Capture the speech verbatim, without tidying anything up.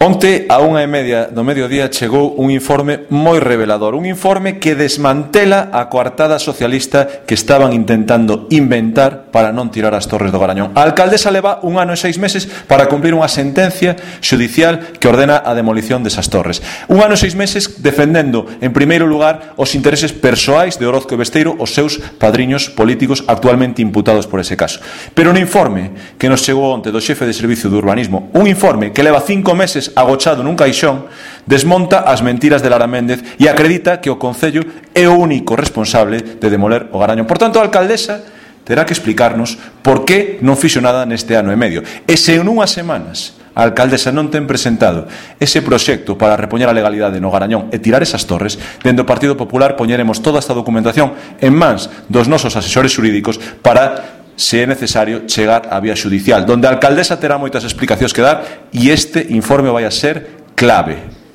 Onte, a unha e media do mediodía, chegou un informe moi revelador, un informe que desmantela a coartada socialista que estaban intentando inventar para non tirar as torres do Garañón. A alcaldesa leva un ano e seis meses para cumplir unha sentencia xudicial que ordena a demolición desas torres. Un ano e seis meses defendendo, en primeiro lugar, os intereses persoais de Orozco e Besteiro, os seus padriños políticos actualmente imputados por ese caso. Pero un informe que nos chegou onte do xefe de Servicio de Urbanismo, un informe que leva cinco meses agochado nun caixón, desmonta as mentiras de Lara Méndez e acredita que o Concello é o único responsable de demoler o Garañón. Por tanto, a alcaldesa terá que explicarnos por que non fixo nada neste ano e medio. E se en unhas semanas a alcaldesa non ten presentado ese proxecto para repoñer a legalidade no Garañón e tirar esas torres, dende o Partido Popular poñeremos toda esta documentación en mans dos nosos asesores xurídicos para, se é necesario, chegar á vía xudicial, donde a alcaldesa terá moitas explicacións que dar e este informe vai a ser clave.